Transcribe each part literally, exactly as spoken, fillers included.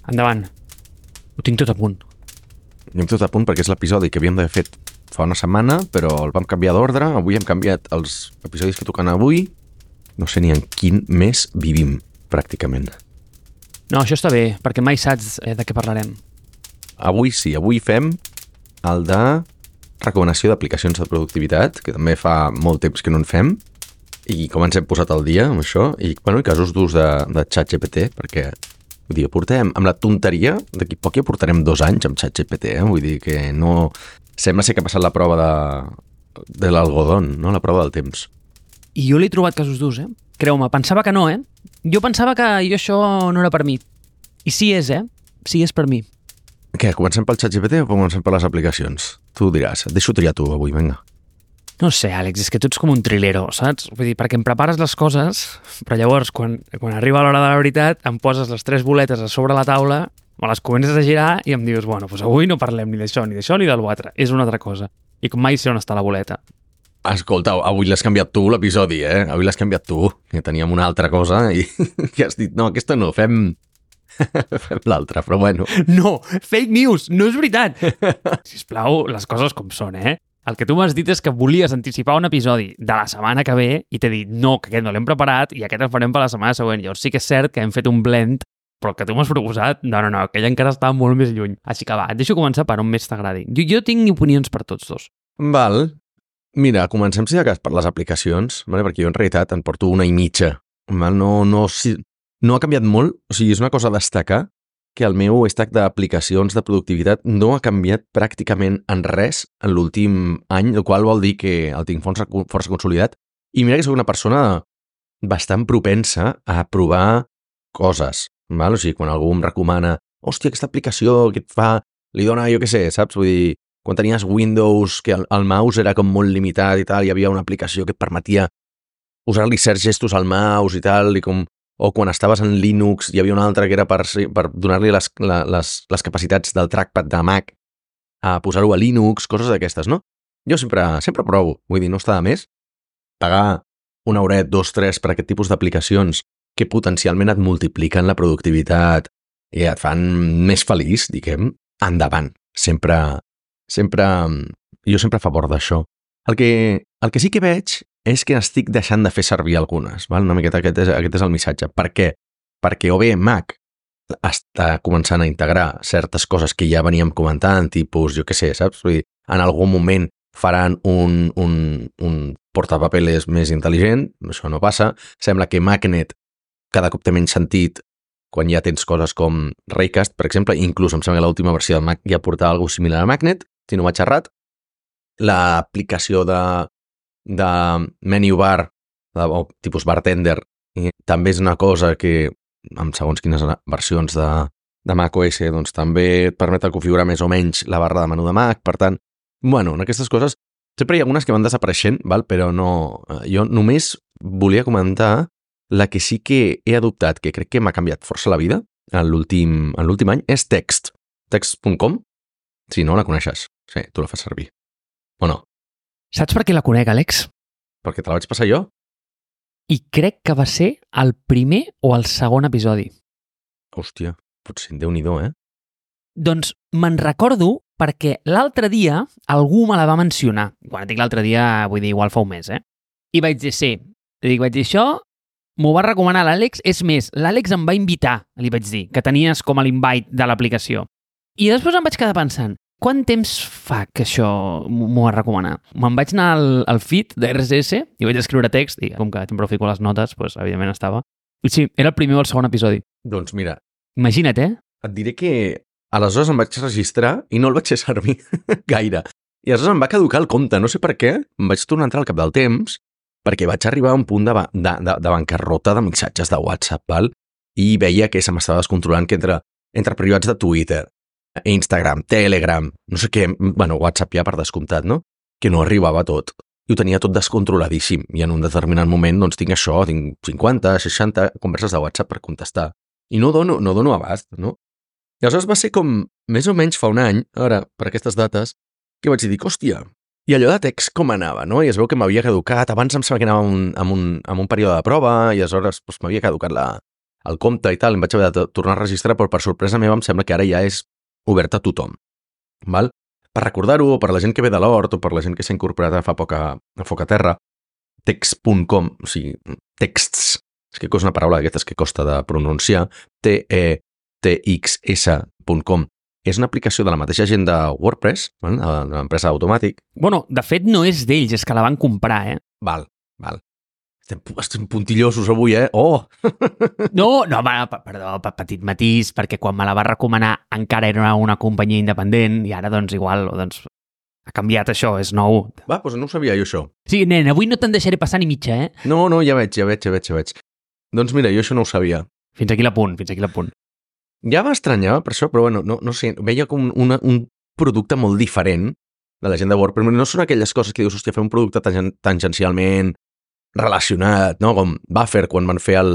Endavant. Ho tinc tot a punt. Jo tot a punt perquè és l'episodi que havíem d'haver fet fa una setmana, però el vam canviar d'ordre. Avui hem canviat els episodis que toquen avui. No sé ni en quin mes vivim, pràcticament. No, això està bé, perquè mai saps eh, de què parlarem. Avui sí, avui fem el de recomanació d'aplicacions de productivitat, que també fa molt temps que no en fem, i com ens hem posat al dia amb això, i, bueno, i casos d'ús de, de ChatGPT, perquè vull dir, portem amb la tonteria, d'aquí poc ja portarem dos anys amb ChatGPT, eh? Vull dir que no... Sembla ser que ha passat la prova de, de l'algodón, no? La prova del temps. I jo l'he trobat casos d'ús, eh? Creu-me, pensava que no, eh? Jo pensava que jo això no era per mi. I sí és, eh? Sí és per mi. Què, comencem pel ChatGPT o comencem per les aplicacions? Tu ho diràs, et deixo triar tu avui, vinga. No sé, Àlex, és que tu ets com un trilero, saps? Vull dir, perquè em prepares les coses, però llavors, quan, quan arriba l'hora de la veritat, em poses les tres boletes a sobre la taula, me les comences a girar i em dius, bueno, doncs avui no parlem ni d'això, ni d'això, ni de l'altre. És una altra cosa. I com mai sé on està la boleta. Escolta, avui l'has canviat tu, l'episodi, eh? Avui l'has canviat tu, que teníem una altra cosa i que has dit, no, aquesta no, fem... fem l'altra, però bueno. No, fake news, no és veritat. Sisplau, les coses com són, eh? El que tu m'has dit és que volies anticipar un episodi de la setmana que ve i t'he dit, no, que aquest no l'hem preparat i aquest el farem per la setmana següent. Llavors sí que és cert que hem fet un blend, però el que tu m'has proposat, no, no, no, aquell encara està molt més lluny. Així que va, et deixo començar per on més t'agradi. Jo, jo tinc opinions per tots dos. Val. Mira, comencem si de cas per les aplicacions, vale? Perquè jo en realitat en porto una i mitja. Val? No, no, si, no ha canviat molt, o sigui, és una cosa a destacar que el meu stack d'aplicacions de productivitat no ha canviat pràcticament en res en l'últim any, el qual vol dir que el tinc força, força consolidat. I mira que soc una persona bastant propensa a provar coses, val? O sigui, quan algú em recomana, hòstia, aquesta aplicació que et fa, li dona, jo què sé, saps? Vull dir, quan tenies Windows, que el, el mouse era com molt limitat i tal, hi havia una aplicació que et permetia usar-li certs gestos al mouse i tal, i com... O quan estaves en Linux hi havia una altra que era per, per donar-li les, les, les capacitats del trackpad de Mac a posar-ho a Linux, coses d'aquestes, no? Jo sempre, sempre provo, vull dir, no està de més pagar un euret, dos, tres per aquest tipus d'aplicacions que potencialment et multipliquen la productivitat i et fan més feliç, diguem, endavant. Sempre, sempre, jo sempre a favor d'això. El que, el que sí que veig és que estic deixant de fer servir algunes, val? Una miqueta aquest és, aquest és el missatge. Per què? Perquè o bé Mac està començant a integrar certes coses que ja veníem comentant, tipus, jo què sé, saps? Vull dir, en algun moment faran un, un, un portapapeles més intel·ligent, això no passa. Sembla que Magnet cada cop té menys sentit quan ja tens coses com Raycast, per exemple, inclús em sembla que l'última versió de Mac ja portava alguna cosa similar a Magnet, si no m'ha xerrat. L'aplicació de de menu bar, de, o tipus bartender, i també és una cosa que, amb segons quines versions de, de macOS, doncs també et permet configurar més o menys la barra de menú de Mac. Per tant, bueno, en aquestes coses sempre hi ha algunes que van desapareixent, val? Però no... Jo només volia comentar la que sí que he adoptat, que crec que m'ha canviat força la vida en l'últim en l'últim any, és Text. Text punt com. Si no la coneixes. Sí, tu la fas servir. O no? Saps per què la conec, Àlex? Perquè te la vaig passar jo. I crec que va ser el primer o el segon episodi. Hòstia, potser Déu-n'hi-do, eh? Doncs me'n recordo perquè l'altre dia algú me la va mencionar. Quan dic l'altre dia, vull dir, igual fa un mes, eh? I vaig dir, sí. I dic, vaig dir, això m'ho va recomanar l'Àlex. És més, l'Àlex em va invitar, li vaig dir, que tenies com a l'invite de l'aplicació. I després em vaig quedar pensant, quant temps fa que això m'ho va recomanar? Me'n vaig anar al, al feed de R S S i vaig escriure text i com que sempre fico les notes, doncs evidentment estava. I sí, era el primer o el segon episodi. Doncs mira... Imagina't, eh? Et diré que aleshores em vaig registrar i no el vaig fer servir gaire. I aleshores em va caducar el compte, no sé per què, em vaig tornar a entrar al cap del temps perquè vaig arribar a un punt de, de, de, de bancarrota de missatges de WhatsApp, val? I veia que se m'estava descontrolant que entre, entre privats de Twitter, Instagram, Telegram, no sé què, bueno, WhatsApp ja per descomptat, no? Que no arribava tot. I ho tenia tot descontroladíssim. I en un determinat moment, doncs, tinc això, tinc cinquanta, seixanta converses de WhatsApp per contestar. I no dono, no dono abast, no? I aleshores va ser com, més o menys fa un any, ara, per aquestes dates, que vaig dir, hòstia, i allò de text com anava, no? I es veu que m'havia caducat, abans em sembla que anava un, amb, un, amb un període de prova, i aleshores doncs, m'havia caducat la, el compte i tal, em vaig haver de tornar a registrar, però per sorpresa meva em sembla que ara ja és obert a tothom. Val? Per recordar-ho, o per la gent que ve de l'hort, o per la gent que s'ha incorporat a fa poc a, a Foc a Terra, text punt com, o sigui, texts, és que és una paraula d'aquestes que costa de pronunciar, T E T X S punt com, és una aplicació de la mateixa gent de WordPress, val? De l'empresa Automatic. Bueno, de fet no és d'ells, és que la van comprar, eh? Val, val. Estem, estem puntillosos avui, eh? Oh! No, no, va, perdó, petit matís, perquè quan me la va recomanar encara era una companyia independent i ara, doncs, igual, doncs, ha canviat això, és nou. Va, doncs no ho sabia jo, això. Sí, nen, avui no te'n deixaré passar ni mitja, eh? No, no, ja veig, ja veig, ja veig, ja veig. Doncs mira, jo això no ho sabia. Fins aquí l'apunt, fins aquí l'apunt. Ja m'estranyava per això, però bueno, no, no sé, veia com una, un producte molt diferent de la gent de WordPress. No són aquelles coses que dius, hòstia, fer un producte tangen, tangencialment relacionat, no? Com Buffer, quan van fer el,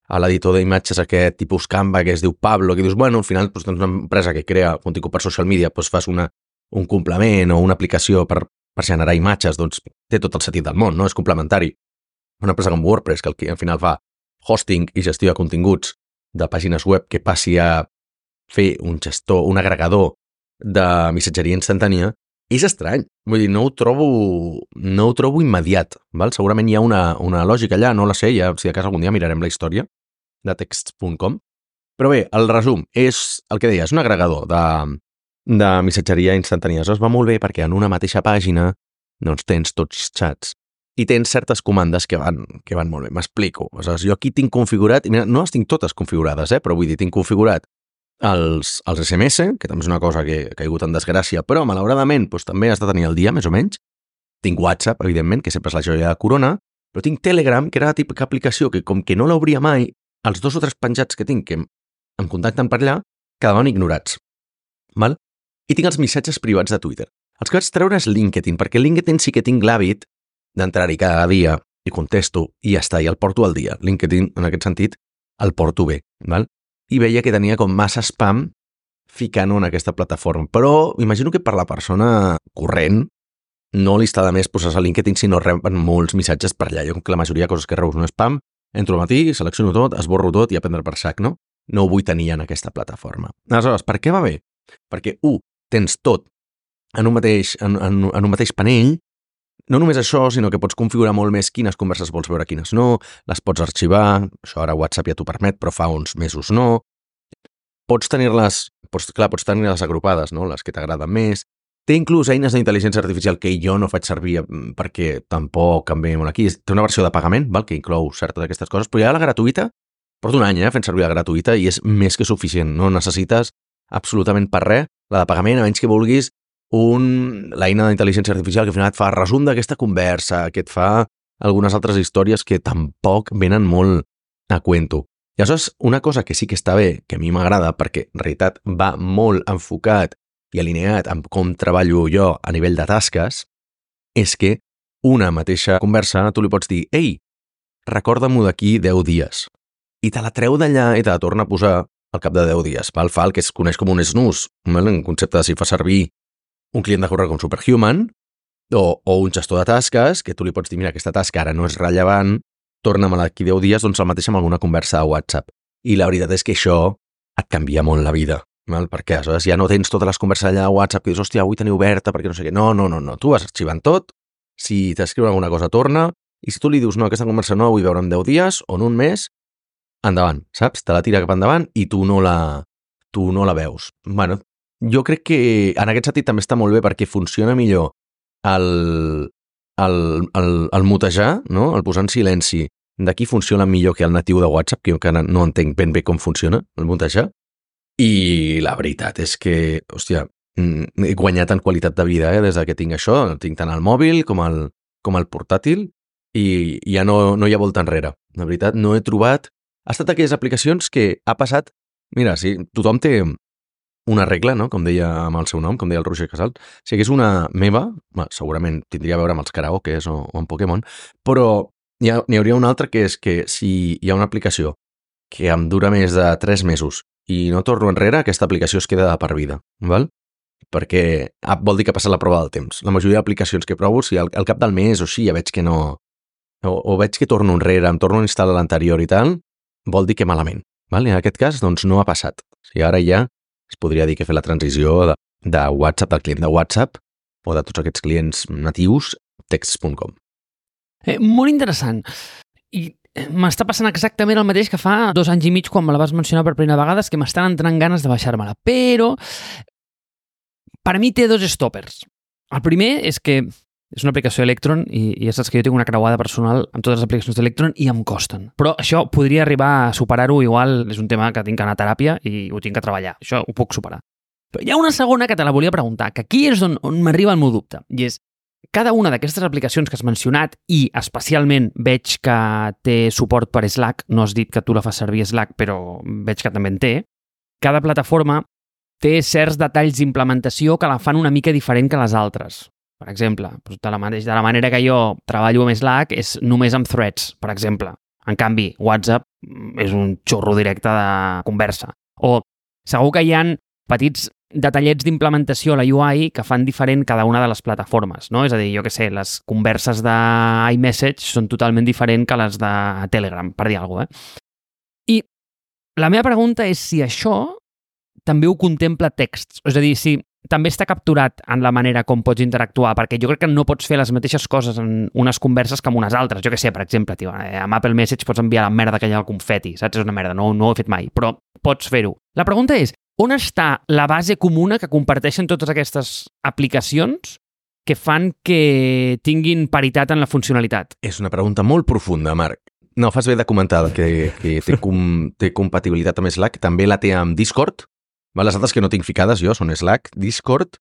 a l'editor d'imatges aquest tipus Canva, que es diu Pablo, que dius, bueno, al final doncs, tens una empresa que crea contingut per social media, doncs fas una, un complement o una aplicació per, per generar imatges, doncs té tot el sentit del món, no? És complementari. Una empresa com WordPress, que, el que al final fa hosting i gestió de continguts de pàgines web que passi a fer un gestor, un agregador de missatgeria instantània, és estrany. Vull dir, no ho trobo, no ho trobo immediat. Val? Segurament hi ha una, una lògica allà, no la sé, ja, si de cas algun dia mirarem la història de text punt com. Però bé, el resum és el que deia, és un agregador de, de missatgeria instantània. Això es va molt bé perquè en una mateixa pàgina doncs, tens tots xats i tens certes comandes que van, que van molt bé. M'explico. O sigui, jo aquí tinc configurat, i mira, no les tinc totes configurades, eh, però vull dir, tinc configurat els, els S M S, que també és una cosa que ha caigut en desgràcia, però malauradament doncs, també has de tenir el dia, més o menys. Tinc WhatsApp, evidentment, que sempre és la joia de corona, però tinc Telegram, que era la típica aplicació que, com que no l'obria mai, els dos o tres penjats que tinc que em, em contacten per allà, quedaven ignorats. Val? I tinc els missatges privats de Twitter. Els que vaig treure és LinkedIn, perquè LinkedIn sí que tinc l'hàbit d'entrar-hi cada dia i contesto i ja està, i el porto al dia. LinkedIn, en aquest sentit, el porto bé. Val? I veia que tenia com massa spam ficant-ho en aquesta plataforma. Però imagino que per la persona corrent no li està de més posar-se a LinkedIn si no reben molts missatges per allà. Jo, com que la majoria de coses que reus no spam, entro al matí, selecciono tot, esborro tot i a prendre per sac, no? No ho vull tenir en aquesta plataforma. Aleshores, per què va bé? Perquè, u, tens tot en un mateix, en, en, en un mateix panell. No només això, sinó que pots configurar molt més quines converses vols veure, quines no, les pots arxivar, això ara WhatsApp ja t'ho permet, però fa uns mesos no. Pots tenir-les, pots, clar, pots tenir-les agrupades, no? Les que t'agraden més. Té inclús eines d'intel·ligència artificial que jo no faig servir perquè tampoc em ve molt aquí. Té una versió de pagament, val? Que inclou certes d'aquestes coses, però ja la gratuïta, porto un any eh, fent servir la gratuïta i és més que suficient. No necessites absolutament per res la de pagament, a menys que vulguis un, l'eina d'intel·ligència artificial que al final et fa resum d'aquesta conversa, que et fa algunes altres històries que tampoc venen molt a cuento. I aleshores, una cosa que sí que està bé, que a mi m'agrada, perquè en realitat va molt enfocat i alineat amb com treballo jo a nivell de tasques, és que una mateixa conversa tu li pots dir «Ei, recorda-m'ho d'aquí deu dies». I te la treu d'allà i te la torna a posar al cap de deu dies. Val? Fa el que es coneix com un snooze, un concepte de si fa servir un client de correu com Superhuman o, o un gestor de tasques que tu li pots dir, mira, aquesta tasca ara no és rellevant, torna-me-la d'aquí deu dies, doncs el mateix amb alguna conversa a WhatsApp. I la veritat és que això et canvia molt la vida, val? Perquè aleshores ja no tens totes les converses allà a WhatsApp que dius, hòstia, avui teniu oberta perquè no sé què. No, no, no, no. Tu vas arxivant tot, si t'escriu alguna cosa torna, i si tu li dius, no, aquesta conversa no la vull veure en deu dies o en un mes, endavant, saps? Te la tira cap endavant i tu no la, tu no la veus. Bueno, jo crec que en aquest sentit també està molt bé perquè funciona millor el, el, el, el mutejar, no? El posar en silenci. D'aquí funciona millor que el natiu de WhatsApp, que jo encara no entenc ben bé com funciona, el mutejar. I la veritat és que, hòstia, he guanyat en qualitat de vida eh, des que tinc això. Tinc tant el mòbil com el, com el portàtil i ja no, no hi ha volta enrere. La veritat, no he trobat... Ha estat aquelles aplicacions que ha passat... Mira, sí, tothom té una regla, no? Com deia amb el seu nom, com deia el Roger Casal. Si hagués una meva, bueno, segurament tindria a veure amb els karaokes o, o amb Pokémon, però n'hi ha, n'hi hauria una altra que és que si hi ha una aplicació que em dura més de tres mesos i no torno enrere, aquesta aplicació es queda de per vida, val? Perquè ah, vol dir que ha passat la prova del temps. La majoria d'aplicacions que provo, si al, al cap del mes o així ja veig que no... O, o veig que torno enrere, em torno a instal·lar l'anterior i tal, vol dir que malament. Val? I en aquest cas, doncs, no ha passat. O sigui, ara ja es podria dir que he fet la transició de, de WhatsApp, del client de WhatsApp, o de tots aquests clients natius, texts punt com. Eh, molt interessant. I m'està passant exactament el mateix que fa dos anys i mig quan me la vas mencionar per primera vegada, és que m'estan entrant ganes de baixar-me-la. Però, per a mi té dos stoppers. El primer és que és una aplicació Electron i, i ja saps que jo tinc una creuada personal amb totes les aplicacions d'Electron i em costen. Però això podria arribar a superar-ho, igual és un tema que tinc que anar a teràpia i ho tinc que treballar. Això ho puc superar. Però hi ha una segona que te la volia preguntar, que aquí és on, on m'arriba el meu dubte, i és cada una d'aquestes aplicacions que has mencionat i especialment veig que té suport per Slack, no has dit que tu la fas servir Slack, però veig que també en té, cada plataforma té certs detalls d'implementació que la fan una mica diferent que les altres. Per exemple, de la, mateix, de la manera que jo treballo amb Slack és només amb threads, per exemple. En canvi, WhatsApp és un xorro directe de conversa. O segur que hi ha petits detallets d'implementació a la U I que fan diferent cada una de les plataformes, no? És a dir, jo què sé, les converses d'iMessage són totalment diferents que les de Telegram, per dir alguna cosa, eh? I la meva pregunta és si això també ho contempla texts, és a dir, si també està capturat en la manera com pots interactuar, perquè jo crec que no pots fer les mateixes coses en unes converses que en unes altres. Jo què sé, per exemple, tio, amb Apple Message pots enviar la merda que hi ha al confeti, saps? És una merda, no, no ho he fet mai, però pots fer-ho. La pregunta és, on està la base comuna que comparteixen totes aquestes aplicacions que fan que tinguin paritat en la funcionalitat? És una pregunta molt profunda, Marc. No, fas bé de comentar que, que té, com, té compatibilitat amb Slack, també la té amb Discord. Les altres que no tinc ficades jo són Slack, Discord,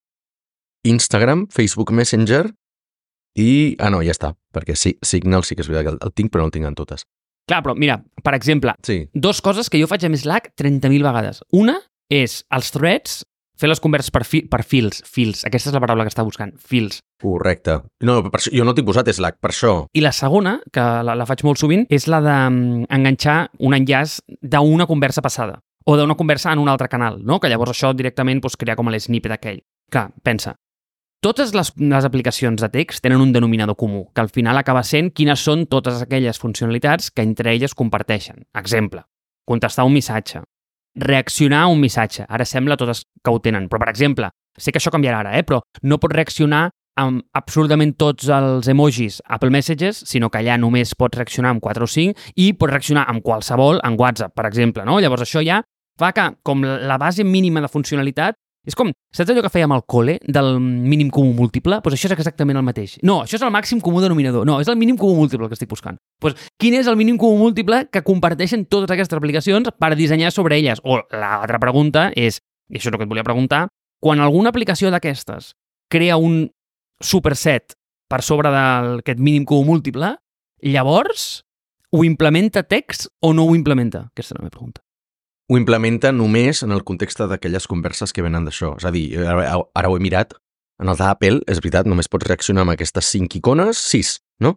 Instagram, Facebook Messenger i... Ah, no, ja està, perquè sí, Signal sí que és veritat que el, el tinc, però no el tinc en totes. Clar, però mira, per exemple, sí. Dos coses que jo faig amb Slack trenta mil vegades. Una és els threads, fer les converses per, fi, per fils, fils, aquesta és la paraula que està buscant, fils. Correcte. No, per això, jo no t'he posat Slack, per això. I la segona, que la, la faig molt sovint, és la d'enganxar un enllaç d'una conversa passada o d'una conversa en un altre canal, no? Que llavors això directament pues, crea com l'snippet aquell. Clar, pensa, totes les, les aplicacions de text tenen un denominador comú, que al final acaba sent quines són totes aquelles funcionalitats que entre elles comparteixen. Exemple, contestar un missatge, reaccionar a un missatge. Ara sembla totes que ho tenen, però per exemple, sé que això canviarà ara, eh? Però no pots reaccionar amb absolutament tots els emojis Apple Messages, sinó que allà només pots reaccionar amb quatre o cinc i pots reaccionar amb qualsevol en WhatsApp, per exemple, no? Llavors això ja fa que, com la base mínima de funcionalitat, és com, saps allò que fèiem al col·le, del mínim comú múltiple? Doncs això és exactament el mateix. No, això és el màxim comú denominador. No, és el mínim comú múltiple que estic buscant. Doncs quin és el mínim comú múltiple que comparteixen totes aquestes aplicacions per dissenyar sobre elles? O l'altra pregunta és, i això és el que et volia preguntar, quan alguna aplicació d'aquestes crea un superset per sobre d'aquest mínim comú múltiple, llavors ho implementa text o no ho implementa? Aquesta és la meva pregunta. Ho implementa només en el context d'aquelles converses que venen d'això. És a dir, ara, ara ho he mirat, en el d'Apple, és veritat, només pots reaccionar amb aquestes cinc icones, sis, no?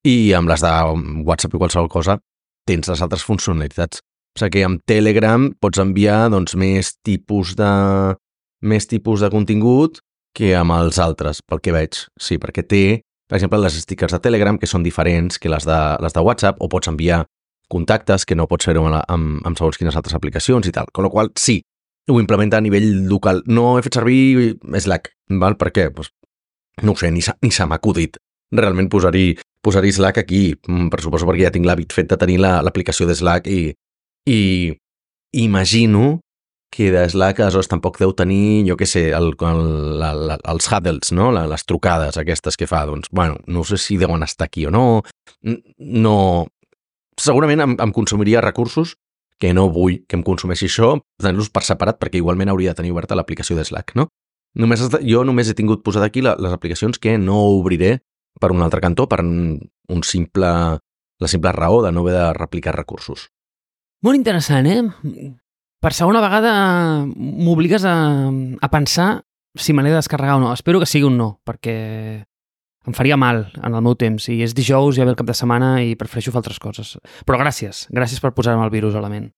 I amb les de WhatsApp i qualsevol cosa tens les altres funcionalitats. O sigui que amb Telegram pots enviar doncs, més tipus de més tipus de contingut que amb els altres, pel que veig. Sí, perquè té, per exemple, les stickers de Telegram que són diferents que les de, les de WhatsApp, o pots enviar contactes que no pots fer-ho amb, amb, amb segons quines altres aplicacions i tal. Con la qual sí, ho implementa a nivell local. No he fet servir Slack, val? Per què? Pues, no ho sé, ni, ni se m'ha acudit realment posar-hi posar Slack aquí, per suposo perquè ja tinc l'hàbit fet de tenir l'aplicació la, de Slack i, i imagino que de Slack aleshores tampoc deu tenir, jo què sé, el, el, la, la, els huddles, no? Les trucades aquestes que fa. Doncs, bueno, no sé si deuen estar aquí o no. No... Segurament em, em consumiria recursos que no vull que em consumeixi això, tenir-los per separat, perquè igualment hauria de tenir oberta l'aplicació de Slack, no? Només, jo només he tingut posat aquí la, les aplicacions que no obriré per un altre cantó, per un simple, la simple raó de no haver de replicar recursos. Molt interessant, eh? Per segona vegada m'obligues a, a pensar si me l'he de descarregar o no. Espero que sigui un no, perquè em faria mal en el meu temps. I és dijous, ja ve el cap de setmana i prefereixo fer altres coses. Però gràcies, gràcies per posar-me el virus a la ment.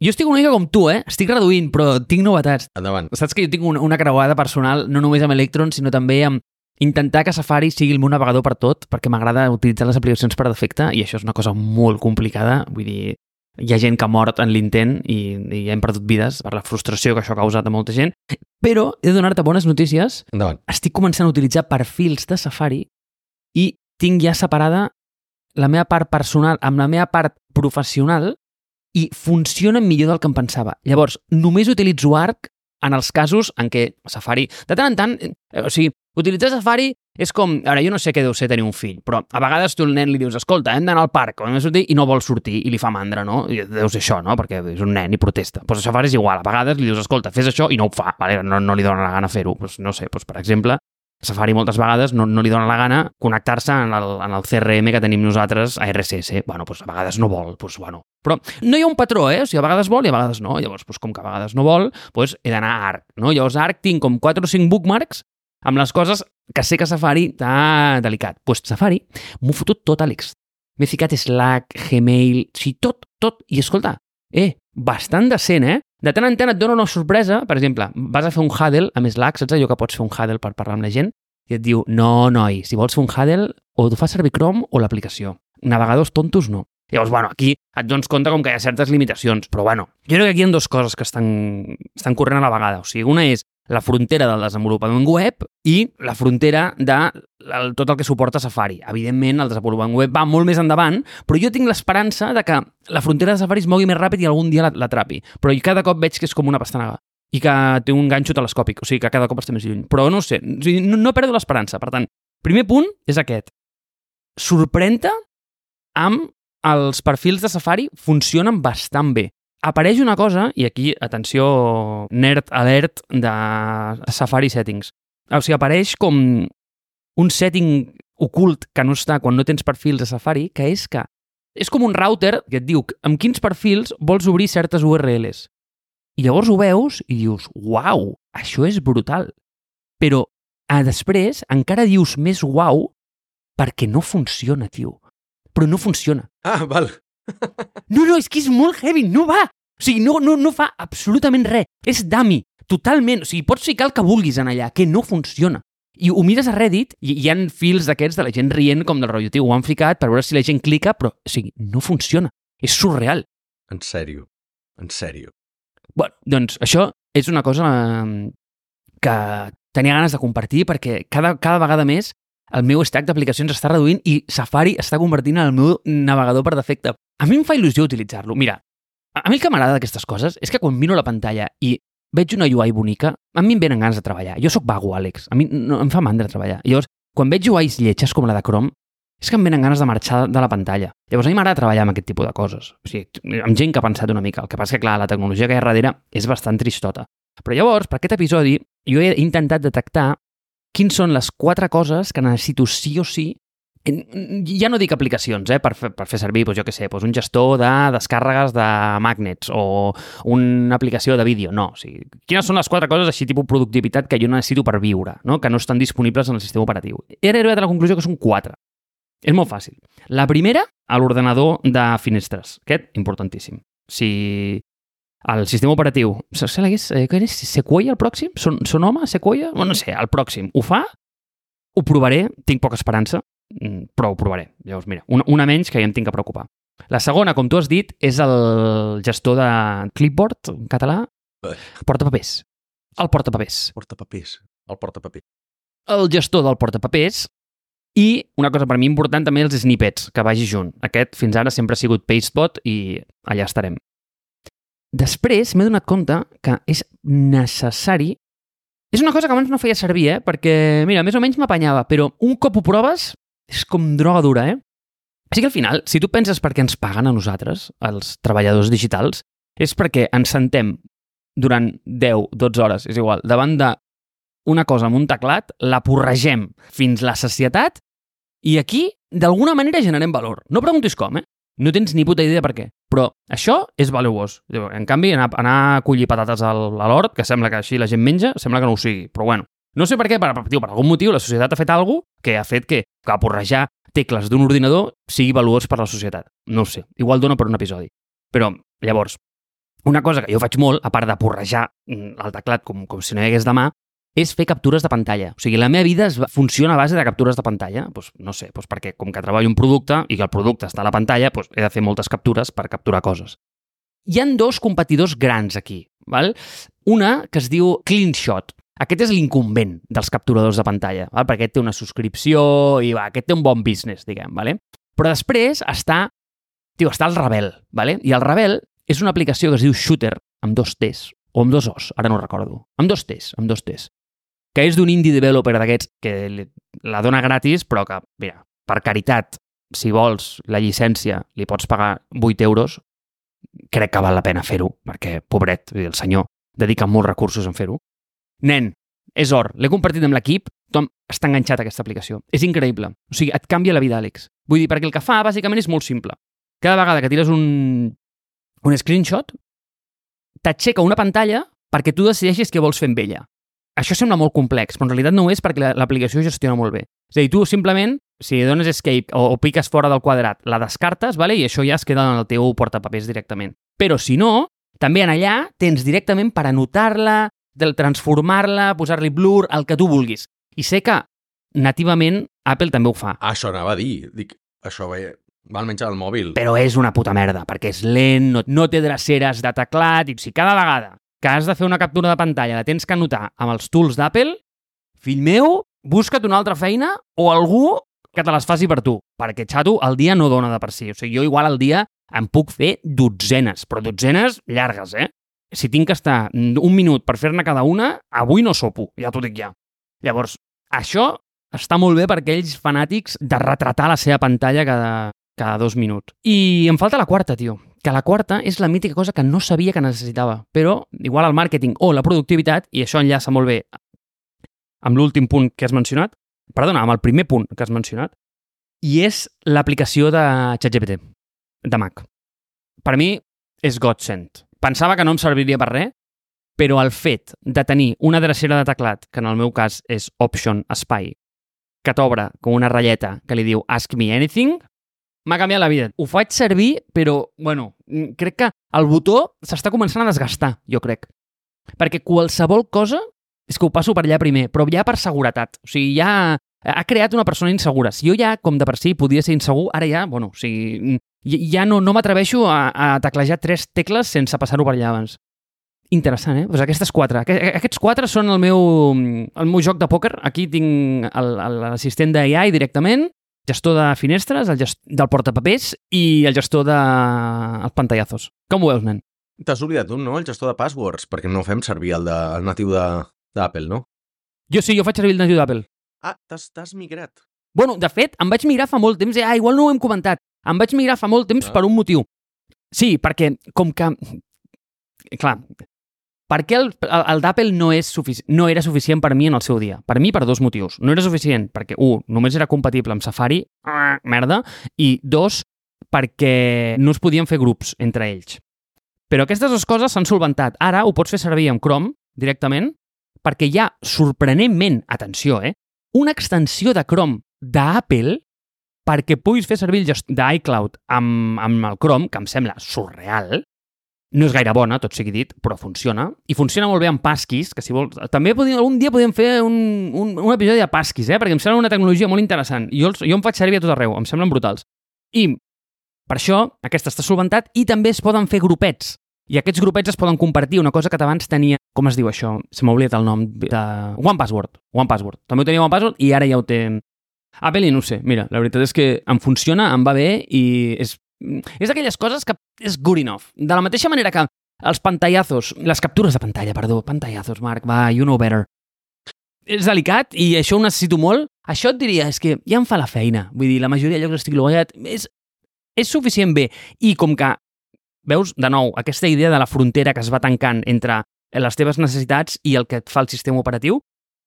Jo estic una mica com tu, eh? Estic reduint, però tinc novetats. Endavant. Saps que jo tinc una, una creuada personal, no només amb Electron, sinó també amb intentar que Safari sigui el meu navegador per tot, perquè m'agrada utilitzar les aplicacions per defecte, i això és una cosa molt complicada. Vull dir, hi ha gent que ha mort en l'intent i, i hem perdut vides per la frustració que això ha causat a molta gent. Però he de donar-te bones notícies. Endavant. Estic començant a utilitzar perfils de Safari i tinc ja separada la meva part personal amb la meva part professional i funcionen millor del que em pensava. Llavors, només utilitzo Arc en els casos en què Safari... De tant en tant, eh, o sigui, utilitzar Safari és com... Ara, jo no sé què deu ser tenir un fill, però a vegades tu al nen li dius, escolta, hem d'anar al parc, hem de sortir, i no vol sortir, i li fa mandra, no? I deu ser això, no? Perquè és un nen i protesta. Doncs a Safari és igual, a vegades li dius, escolta, fes això, i no ho fa, vale? no, no li dona la gana fer-ho. Pues, no sé, pues, per exemple, a Safari moltes vegades no, no li dona la gana connectar-se en el, en el C R M que tenim nosaltres a R S S. Bueno, pues, a vegades no vol, pues, bueno. Però no hi ha un patró, eh? O sigui, a vegades vol i a vegades no. Llavors, pues, com que a vegades no vol, pues, he d'anar a Arc, no? Llavors, a Arc tinc com quatre o cinc bookmarks amb les coses que sé que Safari t'ha delicat. Doncs pues Safari m'ho fotut tot, Àlex. M'he ficat Slack, Gmail, o sigui, tot, tot. I escolta, eh, bastant decent, eh? De tant en tant et dona una sorpresa. Per exemple, vas a fer un huddle amb Slack, saps allò que pots fer un huddle per parlar amb la gent? I et diu, no, noi, si vols fer un huddle, o tu fas servir Chrome o l'aplicació. Navegadors tontos, no. Llavors, bueno, aquí et dones compte com que hi ha certes limitacions, però bueno, jo crec que aquí hi ha dues coses que estan, estan corrent a la vegada. O sigui, una és la frontera del desenvolupament web i la frontera de el, tot el que suporta Safari. Evidentment, el desenvolupament web va molt més endavant, però jo tinc l'esperança de que la frontera de Safari es mogui més ràpid i algun dia l'atrapi. Però cada cop veig que és com una pastanaga i que té un ganxo telescòpic, o sigui que cada cop està més lluny. Però no sé, o sigui, no, no perdo l'esperança. Per tant, primer punt és aquest. Sorprèn-te amb els perfils de Safari funcionen bastant bé. Apareix una cosa, i aquí, atenció, nerd alert de Safari Settings. O sigui, apareix com un setting ocult que no està quan no tens perfils de Safari, que és que és com un router que et diu amb quins perfils vols obrir certes U R Ls. I llavors ho veus i dius, uau, això és brutal. Però a després encara dius més uau perquè no funciona, tio. Però no funciona. Ah, val. No, no, és que és molt heavy, no va. O sigui, no, no, no fa absolutament res. És dummy, totalment. O sigui, pots ficar el que vulguis en allà, que no funciona. I ho mires a Reddit i hi ha fils d'aquests de la gent rient com del rotllo, tio, ho han ficat per veure si la gent clica, però, o sigui, no funciona. És surreal. En sèrio, en sèrio. Bueno, doncs això és una cosa que tenia ganes de compartir perquè cada, cada vegada més el meu stack d'aplicacions està reduint i Safari està convertint en el meu navegador per defecte. A mi em fa il·lusió utilitzar-lo. Mira, a mi el que m'agrada d'aquestes coses és que quan miro la pantalla i veig una U I bonica, a mi em venen ganes de treballar. Jo sóc vago, Àlex. A mi no, em fa mandra treballar. Llavors, quan veig U Is lletges com la de Chrome, és que em venen ganes de marxar de la pantalla. Llavors, a mi m'agrada treballar amb aquest tipus de coses. O sigui, amb gent que ha pensat una mica. El que passa que, clar, la tecnologia que hi ha darrere és bastant tristota. Però llavors, per aquest episodi, jo he intentat detectar quins són les quatre coses que necessito sí o sí. Ja no dic aplicacions, eh, per, fer, per fer servir, doncs jo què sé, doncs un gestor de descàrregues de magnets o una aplicació de vídeo. No, o sigui, quines són les quatre coses així tipus productivitat que jo necessito per viure, no? Que no estan disponibles en el sistema operatiu. I ara he arribat a la conclusió que són quatre. És molt fàcil. La primera, a l'ordenador de finestres. Aquest, importantíssim. Si el sistema operatiu... Eh, què és? Sequoia, el pròxim? Son, Sonoma? Sequoia? No, no sé, el pròxim. Ho fa? Ho provaré. Tinc poca esperança, però ho provaré. Llavors, mira, una, una menys que ja em tinc que preocupar. La segona, com tu has dit, és el gestor de clipboard, en català. Portapapers. El portapapers. Portapapers. El portapapers. El gestor del portapapers. I una cosa per mi important també els snippets, que vagi junt. Aquest fins ara sempre ha sigut Pastebot i allà estarem. Després m'he donat compte que és necessari... És una cosa que abans no feia servir, eh? Perquè, mira, més o menys m'apanyava, però un cop ho proves és com droga dura, eh? Així que al final, si tu penses per què ens paguen a nosaltres, els treballadors digitals, és perquè ens sentem durant deu, dotze hores, és igual, davant de una cosa amb un teclat, la porregem fins la sacietat i aquí, d'alguna manera, generem valor. No preguntis com, eh? No tens ni puta idea per què. Però això és valuós. En canvi, anar, anar a collir patates al, a l'hort, que sembla que així la gent menja, sembla que no ho sigui. Però bueno, no sé per què, per, per, per algun motiu la societat ha fet alguna cosa que ha fet que, que porrejar tecles d'un ordinador sigui valuós per la societat. No ho sé. Igual dona per un episodi. Però, llavors, una cosa que jo faig molt, a part de porrejar el teclat com, com si no hi hagués demà, és fer captures de pantalla. O sigui, la meva vida es va, funciona a base de captures de pantalla. Pues, no sé, pues perquè com que treballo un producte i que el producte està a la pantalla, pues he de fer moltes captures per capturar coses. Hi han dos competidors grans aquí. Val? Una que es diu CleanShot. Aquest és l'incumbent dels capturadors de pantalla, val? Perquè aquest té una subscripció i va, aquest té un bon business, diguem. Vale? Però després està, tio, està el Rebel. Vale? I el Rebel és una aplicació que es diu Shooter, amb dos T's, o amb dos O's, ara no recordo. Amb dos T's, amb dos T's. Que és d'un indie developer d'aquests que la dona gratis, però que, mira, per caritat, si vols la llicència, li pots pagar vuit euros, crec que val la pena fer-ho, perquè, pobret, el senyor dedica molts recursos en fer-ho. Nen, és or, l'he compartit amb l'equip, tothom està enganxat a aquesta aplicació. És increïble. O sigui, et canvia la vida, Àlex. Vull dir, perquè el que fa, bàsicament, és molt simple. Cada vegada que tires un, un screenshot, t'aixeca una pantalla perquè tu decideixis què vols fer amb ella. Això sembla molt complex, però en realitat no ho és perquè l'aplicació gestiona molt bé. És a dir, tu simplement, si dones escape o, o piques fora del quadrat, la descartes, vale? I això ja es queda en el teu portapapers directament. Però si no, també en allà tens directament per anotar-la, transformar-la, posar-li blur, el que tu vulguis. I sé que nativament Apple també ho fa. Això anava a dir. Dic, això va, va almenys al mòbil. Però és una puta merda, perquè és lent, no, no té dreceres de teclat, i si cada vegada que has de fer una captura de pantalla la tens que anotar amb els tools d'Apple, fill meu, busca't una altra feina o algú que te les faci per tu, perquè, xato, el dia no dona de per si. O sigui, jo igual al dia em puc fer dotzenes, però dotzenes llargues, eh? Si tinc que estar un minut per fer-ne cada una, avui no sopo, ja t'ho dic ja. Llavors, això està molt bé per aquells fanàtics de retratar la seva pantalla cada, cada dos minuts. I em falta la quarta, tio. Que la quarta és la mítica cosa que no sabia que necessitava, però igual el màrqueting o la productivitat, i això enllaça molt bé amb l'últim punt que has mencionat, perdona, amb el primer punt que has mencionat, i és l'aplicació de ChatGPT, de Mac. Per mi és godsend. Pensava que no em serviria per res, però el fet de tenir una drecera de teclat, que en el meu cas és Option Spy, que t'obre com una ratlleta que li diu Ask Me Anything, m'ha canviat la vida. Ho faig servir, però, bueno, crec que el botó s'està començant a desgastar, jo crec. Perquè qualsevol cosa és que ho passo per allà primer, però ja per seguretat. O sigui, ja ha creat una persona insegura. Si jo ja, com de per si, podia ser insegur, ara ja, bueno, o sigui, ja no, no m'atreveixo a, a teclejar tres tecles sense passar-ho per allà abans. Interessant, eh? Pues aquestes quatre. Aquests quatre són el meu, el meu joc de pòquer. Aquí tinc l'assistent d'A I directament, gestor de finestres, el gestor del portapapers i el gestor dels de... pantallazos. Com ho veus, nen? T'has oblidat un, no? El gestor de passwords, perquè no fem servir el, de, el natiu d'Apple, no? Jo sí, jo faig servir el natiu d'Apple. Ah, t'has migrat. Bueno, de fet, em vaig migrar fa molt temps. Ah, igual no ho hem comentat. Em vaig migrar fa molt temps ah. per un motiu. Sí, perquè com que... Clar, per què el, el, el d'Apple no, és sufici... no era suficient per mi en el seu dia? Per mi per dos motius. No era suficient perquè, un, només era compatible amb Safari, ah, merda, i dos, perquè no es podien fer grups entre ells. Però aquestes dues coses s'han solventat. Ara ho pots fer servir amb Chrome directament perquè hi ha, sorprenentment, atenció, eh, una extensió de Chrome d'Apple perquè puguis fer servir el gestor d'iCloud amb, amb el Chrome, que em sembla surreal. No és gaire bona, tot sigui dit, però funciona. I funciona molt bé amb Passkeys, que si vols... També podíem, algun dia podíem fer un, un, un episodi de Passkeys, eh? Perquè em sembla una tecnologia molt interessant. I jo, jo em faig servir a tot arreu, em semblen brutals. I per això aquesta està solventat i també es poden fer grupets. I aquests grupets es poden compartir, una cosa que abans tenia... Com es diu això? Se m'ha oblidat el nom. De... One Password. One Password. També ho tenia One Password i ara ja ho té... Apple, no ho sé. Mira, la veritat és que em funciona, em va bé i és... És d'aquelles coses que és good enough. De la mateixa manera que els pantallazos, les captures de pantalla, perdó, pantallazos, Marc, va, you know better. És delicat i això ho necessito molt. Això et diria, és que ja em fa la feina. Vull dir, la majoria de llocs estic logat. És, és suficient bé. I com que, veus, de nou, aquesta idea de la frontera que es va tancant entre les teves necessitats i el que et fa el sistema operatiu,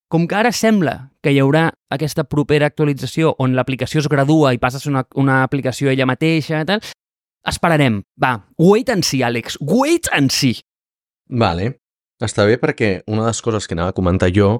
com que ara sembla que hi haurà aquesta propera actualització on l'aplicació es gradua i passes una, una aplicació ella mateixa i tal, esperarem. Va, wait and see, Àlex. Wait and see. Vale. Està bé perquè una de les coses que anava a comentar jo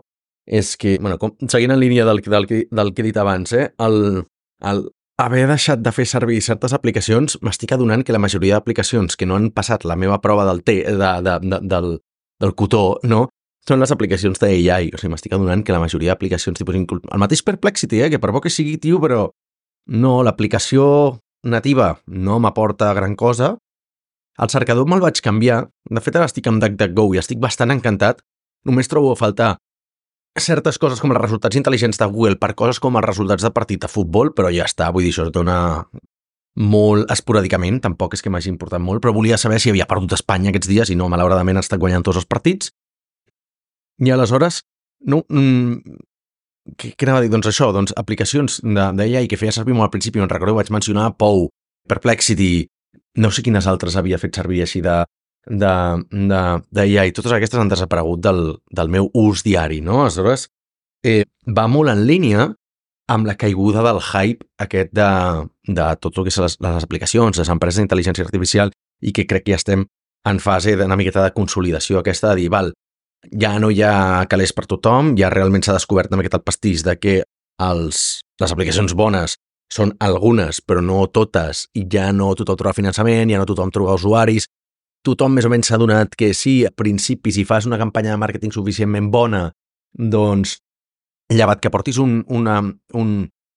és que, bueno, com, seguint en línia del, del, del que he dit abans, eh, el, el haver deixat de fer servir certes aplicacions, m'estic adonant que la majoria d'aplicacions que no han passat la meva prova del té, de, de, de, del, del cotó, no? són les aplicacions d'A I. O sigui, m'estic adonant que la majoria d'aplicacions, tipus, el mateix Perplexity, eh, que per bo que sigui, tio, però no, l'aplicació nativa no m'aporta gran cosa. El cercador me'l vaig canviar. De fet, ara estic amb DuckDuckGo i estic bastant encantat. Només trobo a faltar certes coses com els resultats intel·ligents de Google per coses com els resultats de partit de futbol, però ja està, vull dir, això es dona molt esporàdicament, tampoc és que m'hagi importat molt, però volia saber si havia perdut Espanya aquests dies i no, malauradament ha estat guanyant tots els partits. I aleshores, no, mm, què, què anava a dir? Doncs això, doncs aplicacions d'A I que feia servir molt al principi, no recordo, vaig mencionar Pou, Perplexity, no sé quines altres havia fet servir així de d'A I, totes aquestes han desaparegut del, del meu ús diari, no? Aleshores, eh, va molt en línia amb la caiguda del hype aquest de, de tot el que són les, les aplicacions, les empreses d'intel·ligència artificial, i que crec que ja estem en fase d'una miqueta de consolidació aquesta de dir, val, ja no hi ha calés per tothom, ja realment s'ha descobert una miqueta el pastís de que els, les aplicacions bones són algunes, però no totes, i ja no tothom troba finançament, ja no tothom troba usuaris, tothom més o menys s'ha donat que sí, a principi, si fas una campanya de màrqueting suficientment bona, doncs, llevat que portis un, una, un,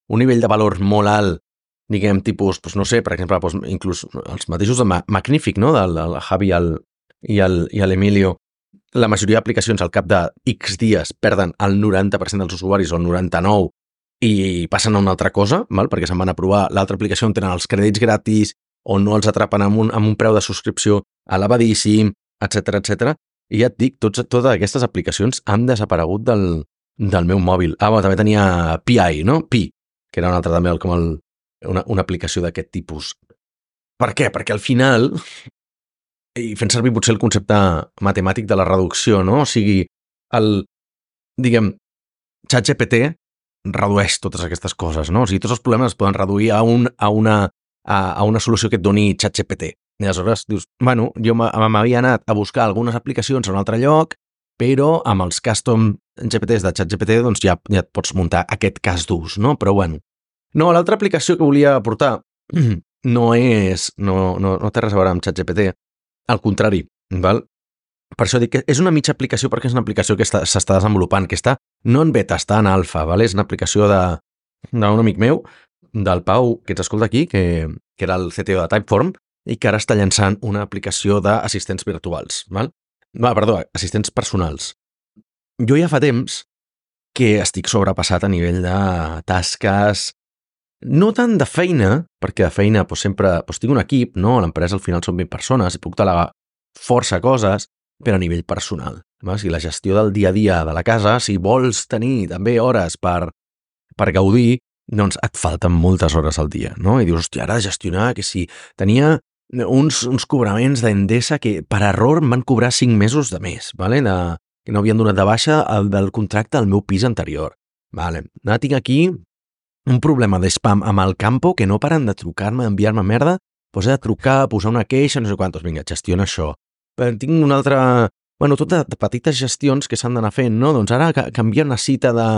un nivell de valor molt alt, diguem, tipus, doncs, no sé, per exemple, doncs, inclús els mateixos de Magnific, no?, del, del Javi i el, i el, i l'Emilio, la majoria d'aplicacions al cap de X dies perden el noranta per cent dels usuaris o el noranta-nou per cent i passen a una altra cosa, val? Perquè se'n van a provar l'altra aplicació on tenen els crèdits gratis, on no els atrapen amb un, amb un preu de subscripció elevadíssim, etcètera, etcètera. I ja et dic, tots, totes aquestes aplicacions han desaparegut del, del meu mòbil. Ah, bueno, també tenia P I, no? Pi, que era una altra també com el, una, una aplicació d'aquest tipus. Per què? Perquè al final, i fent servir potser el concepte matemàtic de la reducció, no? O sigui, el, diguem, ChatGPT redueix totes aquestes coses, no? O sigui, tots els problemes es poden reduir a, un, a, una, a, a una solució que et doni ChatGPT. I aleshores dius, bueno, jo m'havia anat a buscar algunes aplicacions a un altre lloc, però amb els custom G P Ts de ChatGPT doncs ja, ja et pots muntar aquest cas d'ús, no? Però bueno. No, l'altra aplicació que volia aportar no és, no, no, no té res a veure amb ChatGPT, al contrari, val? Per això dic que és una mitja aplicació perquè és una aplicació que s'està desenvolupant, que està no en beta, està en alfa, val? És una aplicació d'un amic meu, del Pau, que ens escolta aquí, que, que era el C T O de Typeform, i que ara està llançant una aplicació d'assistents virtuals, val? Va, perdó, assistents personals. Jo ja fa temps que estic sobrepassat a nivell de tasques, no tant de feina, perquè de feina doncs, sempre doncs, tinc un equip, no? A l'empresa al final són vint persones i puc delegar força coses, però a nivell personal. No? O sigui, la gestió del dia a dia de la casa, si vols tenir també hores per, per gaudir, doncs et falten moltes hores al dia, no? I dius, hòstia, ara gestionar, que si tenia uns, uns cobraments d'Endesa que per error em van cobrar cinc mesos de més, vale? De, que no havien donat de baixa el del contracte al meu pis anterior. Vale. Ara tinc aquí un problema de spam amb el campo que no paren de trucar-me, enviar-me merda, doncs he de trucar, posar una queixa, no sé quantos, vinga, gestiona això. Però tinc una altra... Bueno, tot de, de petites gestions que s'han d'anar fent, no? Doncs ara canviar una cita de...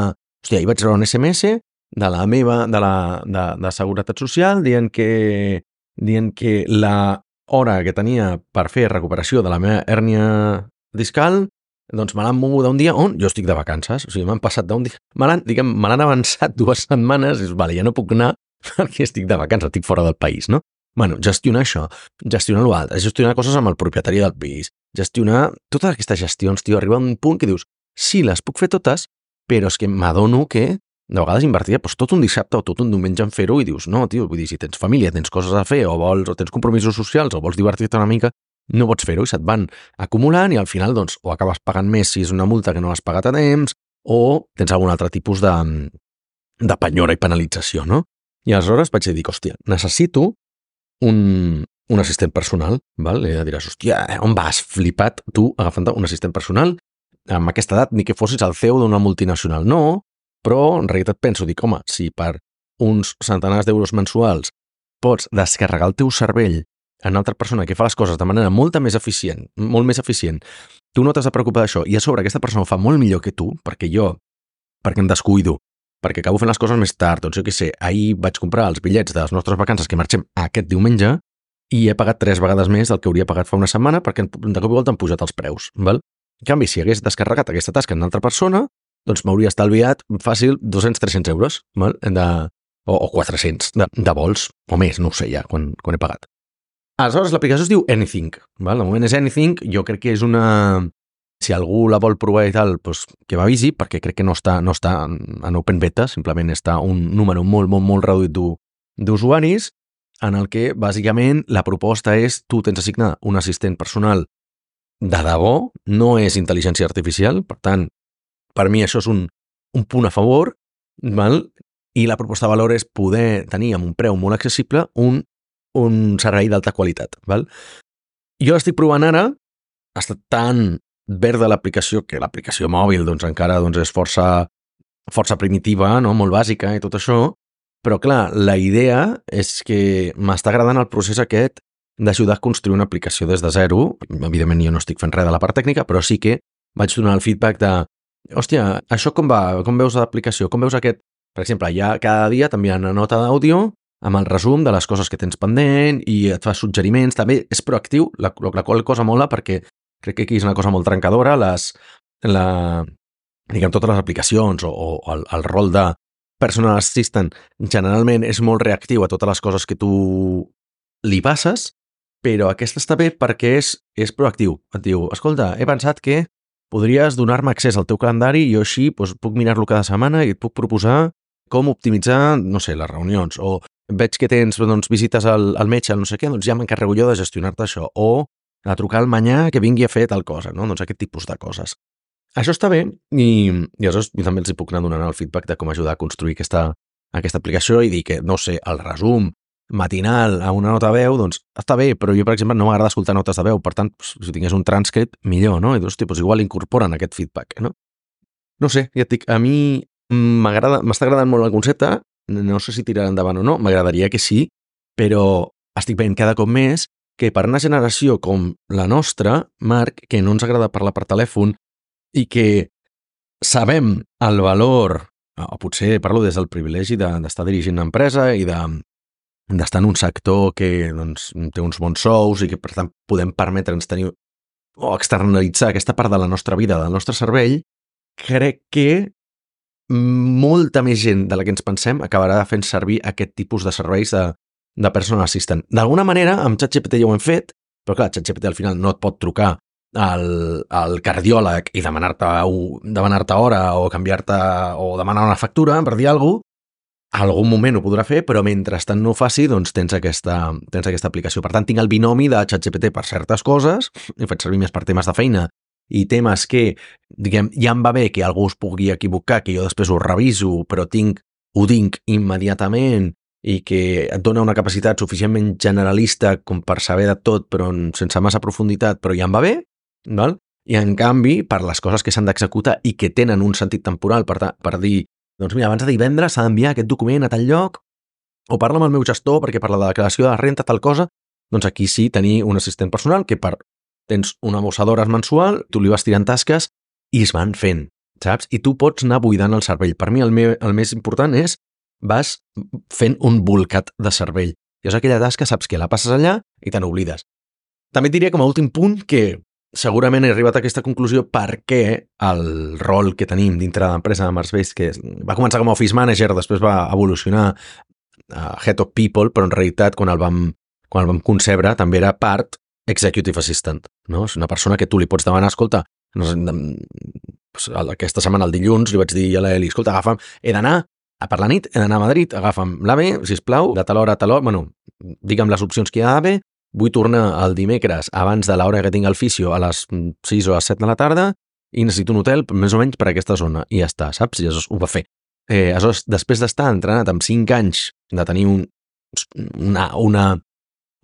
Hòstia, ahir vaig rebre un S M S de la meva, de la de, de Seguretat Social dient que, dient que la hora que tenia per fer recuperació de la meva hèrnia discal, doncs me l'han mogut d'un dia on jo estic de vacances. O sigui, m'han passat d'un dia... Me l'han, diguem, me l'han avançat dues setmanes i dius, vale, ja no puc anar perquè estic de vacances, estic fora del país, no? Bueno, gestionar això, gestionar l'altre, gestionar coses amb el propietari del pis, gestionar totes aquestes gestions, tio, arriba a un punt que dius, sí, les puc fer totes, però és que m'adono que de vegades invertia doncs, tot un dissabte o tot un diumenge en fer-ho i dius, no, tio, vull dir, si tens família, tens coses a fer o vols o tens compromisos socials o vols divertir-te una mica, no pots fer-ho i se't van acumulant i al final, doncs, o acabes pagant més si és una multa que no has pagat a temps o tens algun altre tipus de, de penyora i penalització, no? I aleshores vaig dir, hòstia, necessito Un, un assistent personal, val? I diràs, hòstia, on vas, flipat, tu, agafant un assistent personal amb aquesta edat, ni que fossis el C E O d'una multinacional. No, però en realitat penso, dic, home, si per uns centenars d'euros mensuals pots descarregar el teu cervell en una altra persona que fa les coses de manera molt més eficient, molt més eficient, tu no t'has de preocupar d'això, i a sobre aquesta persona ho fa molt millor que tu, perquè jo, perquè em descuido, perquè acabo fent les coses més tard, doncs jo què sé, ahir vaig comprar els bitllets de les nostres vacances que marxem aquest diumenge i he pagat tres vegades més del que hauria pagat fa una setmana perquè de cop i volta han pujat els preus, val? En canvi, si hagués descarregat aquesta tasca en una altra persona, doncs m'hauria estalviat fàcil dos-cents a tres-cents euros, val? De, o, o quatre-cents de, de vols, o més, no ho sé ja, quan, quan he pagat. Aleshores, l'aplicació es diu Anything, val? De moment és Anything, jo crec que és una... Si algú la vol provar i tal, doncs que m'avisi, perquè crec que no està, no està en open beta, simplement està un número molt, molt, molt reduït d'usuaris, en el que, bàsicament, la proposta és tu tens assignat un assistent personal de debò, no és intel·ligència artificial, per tant, per mi això és un, un punt a favor, val? I la proposta de valor és poder tenir amb un preu molt accessible un, un servei d'alta qualitat. Val? Jo l'estic provant ara, ha estat tan verda l'aplicació, que l'aplicació mòbil doncs, encara doncs, és força, força primitiva, no? Molt bàsica i tot això, però clar, la idea és que m'està agradant el procés aquest d'ajudar a construir una aplicació des de zero. Evidentment jo no estic fent res de la part tècnica, però sí que vaig donar el feedback de hòstia, això com va? Com veus l'aplicació? Com veus aquest? Per exemple, ja cada dia t'envien una nota d'àudio amb el resum de les coses que tens pendent i et fa suggeriments. També és proactiu, la, la qual cosa mola perquè crec que aquí és una cosa molt trencadora, les, la, diguem, totes les aplicacions o, o el, el rol de personal assistant generalment és molt reactiu a totes les coses que tu li passes, però aquesta està bé perquè és, és proactiu. Et diu, escolta, he pensat que podries donar-me accés al teu calendari i jo així doncs, puc mirar-lo cada setmana i et puc proposar com optimitzar, no sé, les reunions, o veig que tens doncs, visites al, al metge, no sé què, doncs ja m'encarrego jo de gestionar-te això, o a trucar al manyà que vingui a fer tal cosa, no? Doncs aquest tipus de coses. Això està bé i, i aleshores jo també els hi puc anar donant el feedback de com ajudar a construir aquesta, aquesta aplicació i dir que, no sé, el resum matinal a una nota de veu, doncs està bé, però jo, per exemple, no m'agrada escoltar notes de veu, per tant, si tingués un transcript, millor, no? I hosti, doncs igual incorporen aquest feedback, no? No sé, ja et dic, a mi m'agrada, m'està agradant molt el concepte, no sé si tirarà endavant o no, m'agradaria que sí, però estic veient cada cop més que per una generació com la nostra, Marc, que no ens agrada parlar per telèfon i que sabem el valor, o potser parlo des del privilegi d'estar de, dirigint una empresa i de, d'estar en un sector que doncs, té uns bons sous i que per tant podem permetre'ns tenir o externalitzar aquesta part de la nostra vida, del nostre cervell, crec que molta més gent de la que ens pensem acabarà fent servir aquest tipus de serveis de de personal assistant. D'alguna manera, amb ChatGPT ja ho hem fet, però clar, ChatGPT al final no et pot trucar al, al cardiòleg i demanar-te demanar-te hora o canviar-te o demanar una factura, per dir alguna cosa. A algun moment ho podrà fer, però mentrestant no ho faci, doncs tens aquesta, tens aquesta aplicació. Per tant, tinc el binomi de ChatGPT per certes coses, he fet servir més per temes de feina i temes que, diguem, ja em va bé que algú es pugui equivocar, que jo després ho reviso, però tinc, ho tinc immediatament i que et dona una capacitat suficientment generalista com per saber de tot, però sense massa profunditat, però ja em va bé, val? I en canvi, per les coses que s'han d'executar i que tenen un sentit temporal, per, per dir, doncs mira, abans de divendres s'ha d'enviar aquest document a tal lloc, o parla amb el meu gestor perquè per la declaració de renta tal cosa, doncs aquí sí tenir un assistent personal que per tens una bossa d'hores mensual, tu li vas tirant tasques i es van fent, saps? I tu pots anar buidant el cervell. Per mi el, meu, el més important és vas fent un bolcat de cervell. Llavors aquella tasca saps que la passes allà i te n'oblides. També et diria com a últim punt que segurament he arribat a aquesta conclusió perquè el rol que tenim dintre de l'empresa de Marsbase, que va començar com a Office Manager, després va evolucionar a Head of People, però en realitat quan el vam, quan el vam concebre també era part Executive Assistant. No? És una persona que tu li pots demanar, escolta, aquesta setmana, el dilluns, li vaig dir a l'Eli, escolta, agafa'm, he d'anar a per la nit, he d'anar a Madrid, agafa'm l'AVE, sisplau, de tal hora a tal hora, bueno, digue'm les opcions que hi ha d'AVE, vull tornar el dimecres abans de l'hora que tinc el fisio a les sis o a les set de la tarda i necessito un hotel més o menys per aquesta zona. I ja està, saps? I llavors ho va fer. Eh, aleshores, després d'estar entrenat amb cinc anys de tenir un, una, una,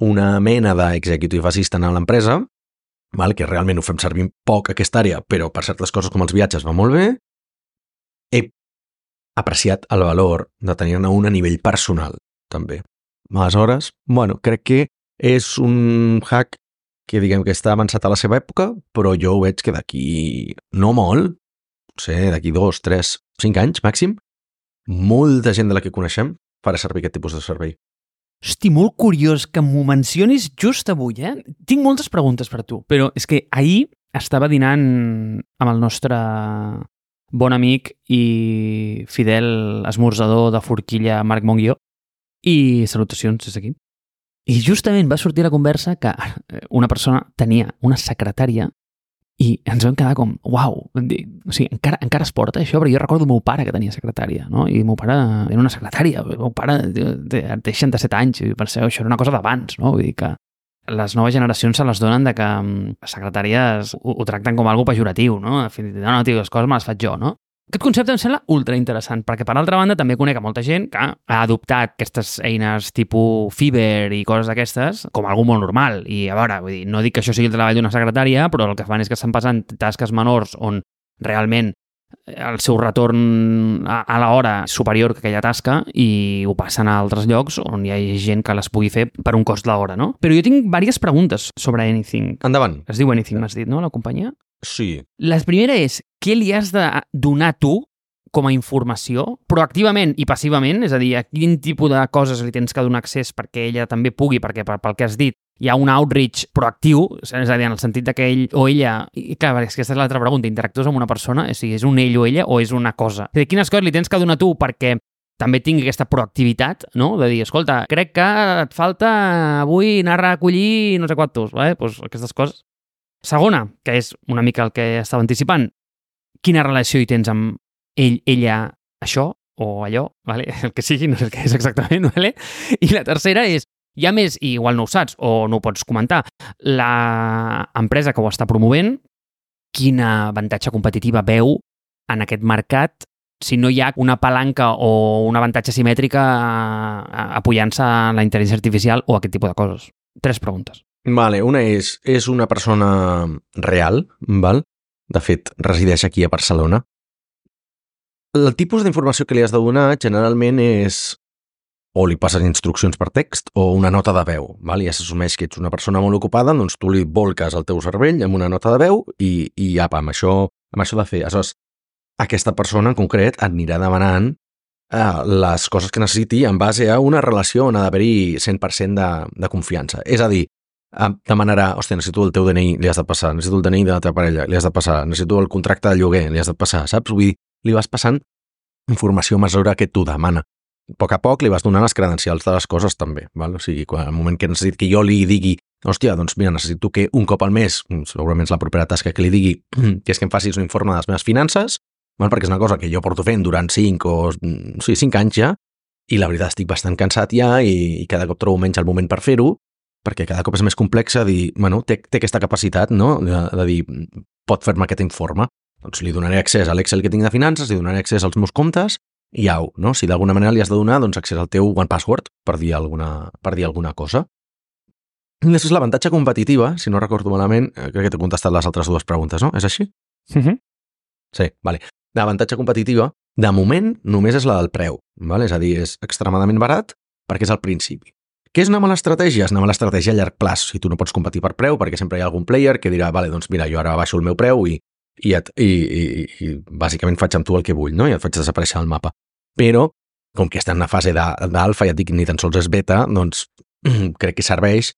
una mena d'executive assistant a l'empresa, val, que realment ho fem servir poc aquesta àrea, però per certes coses com els viatges va molt bé, he apreciat el valor de tenir-ne un a nivell personal, també. Aleshores, bueno, crec que és un hack que diguem que està avançat a la seva època, però jo ho veig que d'aquí no molt, potser d'aquí dos, tres, cinc anys màxim, molta gent de la que coneixem farà servir aquest tipus de servei. Hosti, molt curiós que m'ho mencionis just avui, eh? Tinc moltes preguntes per tu, però és que ahir estava dinant amb el nostre bon amic i fidel esmorzador de forquilla Marc Monguió i salutacions des d'aquí. I justament va sortir la conversa que una persona tenia una secretària i ens vam quedar com, uau, o sigui, encara, encara es porta això? Perquè jo recordo el meu pare que tenia secretària, no? I el meu pare era una secretària, el meu pare té seixanta-set anys, i penseu, això era una cosa d'abans, no? Vull dir que les noves generacions se les donen de que les secretàries ho, ho tracten com algo pejoratiu, no? No, no, tio, les coses me les faig jo, no? Aquest concepte em sembla ultra interessant, perquè per altra banda també conec a molta gent que ha adoptat aquestes eines tipus Fiverr i coses d'aquestes com algo molt normal. I a veure, vull dir, no dic que això sigui el treball d'una secretària, però el que fan és que estan passant tasques menors on realment el seu retorn a, a l'hora és superior que aquella tasca i ho passen a altres llocs on hi ha gent que les pugui fer per un cost l'hora, no? Però jo tinc diverses preguntes sobre Anything. Endavant. Es diu Anything, m'has dit, no, la companyia? Sí. La primera és, què li has de donar tu com a informació, proactivament i passivament? És a dir, a quin tipus de coses li tens que donar accés perquè ella també pugui, perquè pel que has dit hi ha un outreach proactiu, és a dir, en el sentit que ell o ella, i clar, és que aquesta és l'altra pregunta, interactues amb una persona, és, és un ell o ella o és una cosa? És a dir, quines coses li tens que donar tu perquè també tingui aquesta proactivitat, no? De dir, escolta, crec que et falta avui anar a recollir no sé quantos, eh? Pues aquestes coses. Segona, que és una mica el que estava anticipant, quina relació hi tens amb ell, ella, això o allò, vale? El que sigui, no sé el que és exactament, vale? I la tercera és, hi ha més, i igual no ho saps o no ho pots comentar, l'empresa que ho està promovent, quin avantatge competitiva veu en aquest mercat si no hi ha una palanca o un avantatge simètrica apoyant-se a la intel·ligència artificial o aquest tipus de coses. Tres preguntes. Vale, una és, és una persona real, val? De fet, resideix aquí a Barcelona. El tipus d'informació que li has de donar generalment és o li passes instruccions per text o una nota de veu, val? I ja s'assumeix que ets una persona molt ocupada, doncs tu li volques el teu cervell amb una nota de veu i, i apa, amb això, amb això de fer. Aleshores, aquesta persona en concret et anirà demanant eh, les coses que necessiti en base a una relació on ha d'haver-hi cent per cent de, de confiança. És a dir, eh, demanarà, hòstia, necessito el teu D N I, li has de passar, necessito el D N I de la teva parella, li has de passar, necessito el contracte de lloguer, li has de passar, saps? Vull dir, li vas passant informació a mesura que tu demana. A poc a poc li vas donant les credencials de les coses també, val? O sigui, quan, al moment que necessit que jo li digui, hòstia, doncs mira, necessito que un cop al mes, segurament és la propera tasca que li digui, que és que em facis un informe de les meves finances, val? Perquè és una cosa que jo porto fent durant cinc o sí, cinc anys ja, i la veritat estic bastant cansat ja i, i cada cop trobo menys el moment per fer-ho, perquè cada cop és més complex a dir, bueno, té, té aquesta capacitat, no?, de, de dir, pot fer-me aquest informe. Doncs li donaré accés a l'Excel que tinc de finances, li donaré accés als meus comptes i au, no? Si d'alguna manera li has de donar doncs, accés al teu One Password per dir alguna, per dir alguna cosa. I després l'avantatge competitiva, si no recordo malament, crec que t'he contestat les altres dues preguntes, no? És així? Uh-huh. Sí, vale. L'avantatge competitiva, de moment, només és la del preu, vale? És a dir, és extremadament barat perquè és al principi. Què és una mala estratègia? És una mala estratègia a llarg plaç. Si tu no pots competir per preu, perquè sempre hi ha algun player que dirà, vale, doncs mira, jo ara baixo el meu preu i I, et, i, i, i bàsicament faig amb tu el que vull, no? I et faig desaparèixer el mapa. Però, com que està en una fase d'alfa, ja et dic, ni tan sols és beta, doncs crec que serveix,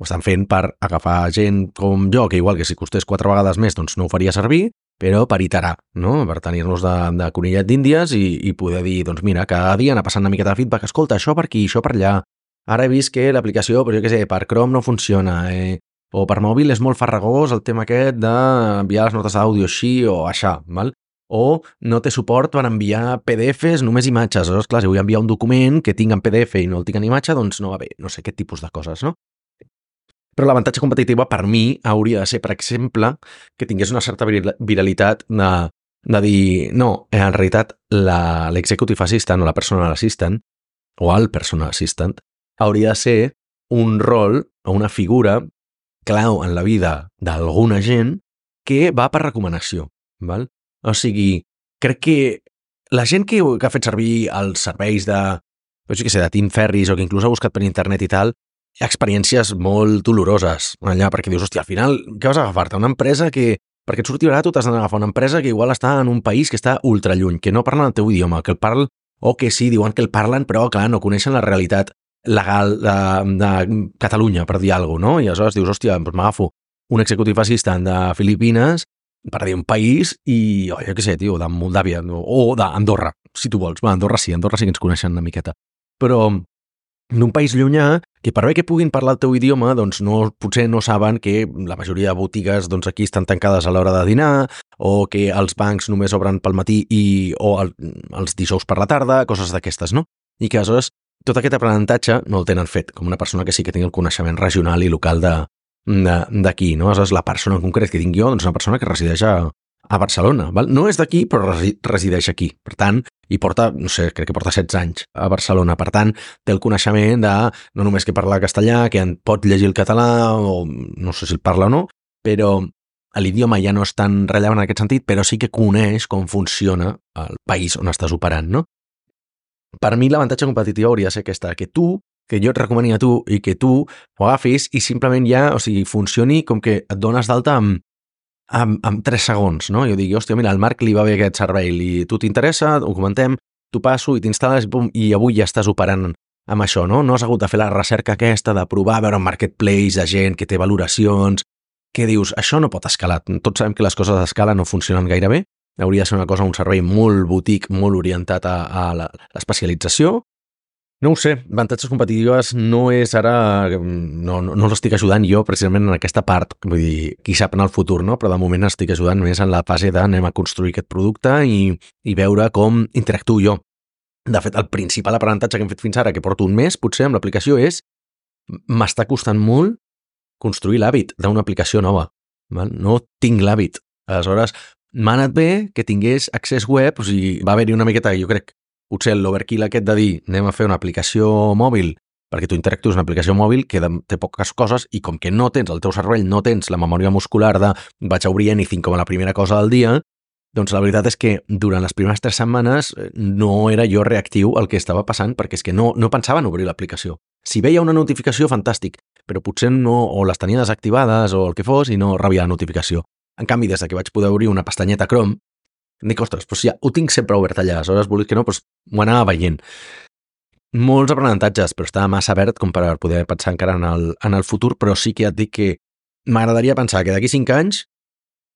ho estan fent per agafar gent com jo, que igual que si costés quatre vegades més, doncs no ho faria servir, però per iterar, no? Per tenir-nos de, de conillet d'índies i, i poder dir, doncs mira, cada dia anar passant una miqueta de feedback, escolta, això per aquí, això per allà, ara he vist que l'aplicació, però jo què sé, per Chrome no funciona, eh? O per mòbil és molt farragós el tema aquest d'enviar les notes d'àudio així o aixà, val? O no té suport per enviar P D Fs només imatges. Aleshores, clar, si vull enviar un document que tinc en P D F i no el tinc en imatge, doncs no va bé. No sé, aquest tipus de coses, no? Però l'avantatge competitiva per mi hauria de ser, per exemple, que tingués una certa viralitat de, de dir, no, en realitat l'executive assistant o la personal assistant o el personal assistant hauria de ser un rol o una figura clau en la vida d'alguna gent que va per recomanació, val? O sigui, crec que la gent que, que ha fet servir els serveis de, no sé què sé, de Tim Ferriss o que inclús ha buscat per internet i tal, hi ha experiències molt doloroses allà, perquè dius, hòstia, al final, què vas a agafar-te? Una empresa que, perquè et surti barat, tu t'has d'agafar una empresa que igual està en un país que està ultra lluny, que no parlen el teu idioma, que el parlen, o que sí, diuen que el parlen, però, clar, no coneixen la realitat legal de, de Catalunya, per dir alguna cosa, no? I aleshores dius, hòstia, doncs m'agafo un executive assistant de Filipines, per dir un país, i, oh, jo què sé, tio, de Moldàvia, o d'Andorra, si tu vols. Va, Andorra sí, Andorra sí que ens coneixen una miqueta. Però d'un país llunyà, que per bé que puguin parlar el teu idioma, doncs no, potser no saben que la majoria de botigues doncs aquí estan tancades a l'hora de dinar, o que els bancs només obren pel matí i, o el, els dijous per la tarda, coses d'aquestes, no? I que aleshores tot aquest aprenentatge no el tenen fet, com una persona que sí que tingui el coneixement regional i local de d'aquí, no? Aleshores, la persona en concret que tinc jo, doncs una persona que resideix a, a Barcelona, val? No és d'aquí, però resi, resideix aquí. Per tant, i porta, no sé, crec que porta setze anys a Barcelona. Per tant, té el coneixement de no només que parla castellà, que en pot llegir el català, o no sé si el parla o no, però l'idioma ja no és tan rellevant en aquest sentit, però sí que coneix com funciona el país on estàs operant, no? Per mi l'avantatge competitiu hauria de ser aquesta, que tu, que jo et recomani a tu i que tu ho agafis i simplement ja, o sigui, funcioni com que et dones d'alta amb, amb, amb tres segons, no? Jo dic, hòstia, mira, al Marc li va bé aquest servei, li, tu t'interessa, ho comentem, tu passo i t'instal·les i, i avui ja estàs operant amb això, no? No has hagut de fer la recerca aquesta, de provar, veure un marketplace de gent que té valoracions, que dius, això no pot escalar. Tots sabem que les coses d'escala no funcionen gaire bé, hauria de ser una cosa, un servei molt boutique, molt orientat a, a l'especialització. No ho sé, avantatges competitives no és ara, no, no, no l'estic ajudant jo precisament en aquesta part, vull dir, qui sap en el futur, no? Però de moment estic ajudant més en la fase d'anem a construir aquest producte i, i veure com interactuo jo. De fet, el principal aprenentatge que hem fet fins ara, que porto un mes, potser, amb l'aplicació, és m'està costant molt construir l'hàbit d'una aplicació nova. Val? No tinc l'hàbit. Aleshores, m'ha anat bé que tingués accés web, o sigui, va haver-hi una miqueta, jo crec, potser l'overkill aquest de dir anem a fer una aplicació mòbil perquè tu interactues una aplicació mòbil que té poques coses i com que no tens el teu cervell, no tens la memòria muscular de vaig a obrir Anything com a la primera cosa del dia, doncs la veritat és que durant les primeres tres setmanes no era jo reactiu al que estava passant perquè és que no, no pensava en obrir l'aplicació. Si veia una notificació, fantàstic, però potser no, o les tenia desactivades o el que fos i no rebia la notificació. En canvi, des que vaig poder obrir una pestanyeta Chrome, dic, ostres, doncs ja ho tinc sempre obert allà, aleshores volia que no, doncs ho anava veient. Molts aprenentatges, però estava massa verd com per poder pensar encara en el, en el futur, però sí que ja et dic que m'agradaria pensar que d'aquí cinc anys,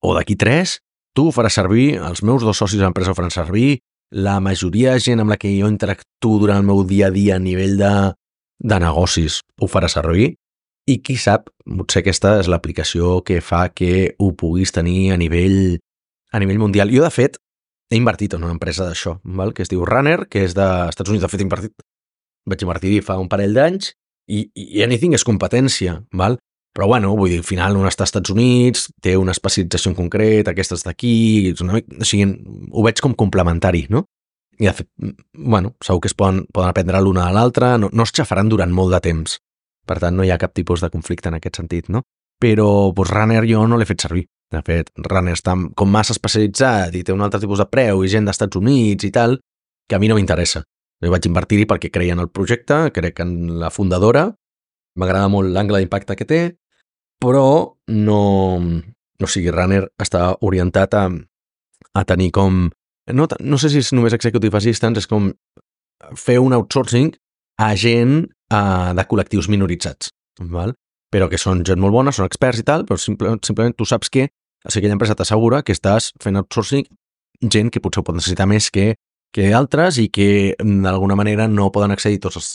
o d'aquí tres, tu ho faràs servir, els meus dos socis de l'empresa ho faran servir, la majoria de gent amb la que jo interactuo durant el meu dia a dia a nivell de, de negocis ho farà servir, i qui sap, potser aquesta és l'aplicació que fa que ho puguis tenir a nivell a nivell mundial. Jo, de fet, he invertit en una empresa d'això, val? Que es diu Runner, que és dels Estats Units. De fet, he invertit, vaig invertir fa un parell d'anys i, i Anything és competència, val? Però, bueno, vull dir, al final un està als Estats Units, té una especialització en concret, aquesta és d'aquí, o sigui, ho veig com complementari, no? I, de fet, bueno, segur que es poden, poden aprendre l'una de l'altra, no, no es xafaran durant molt de temps. Per tant, no hi ha cap tipus de conflicte en aquest sentit, no? Però, doncs, Runner jo no l'he fet servir. De fet, Runner està com massa especialitzat i té un altre tipus de preu i gent dels Estats Units i tal, que a mi no m'interessa. Jo vaig invertir-hi perquè creia en el projecte, crec en la fundadora, m'agrada molt l'angle d'impacte que té, però no... O sigui, Runner està orientat a, a tenir com... No, no sé si és només executive assistants, és com fer un outsourcing a gent a, de col·lectius minoritzats, val? Però que són gent molt bona, són experts i tal, però simplement, simplement tu saps que o sigui, aquella empresa t'assegura que estàs fent outsourcing gent que potser ho pot necessitar més que, que altres i que d'alguna manera no poden accedir tots els,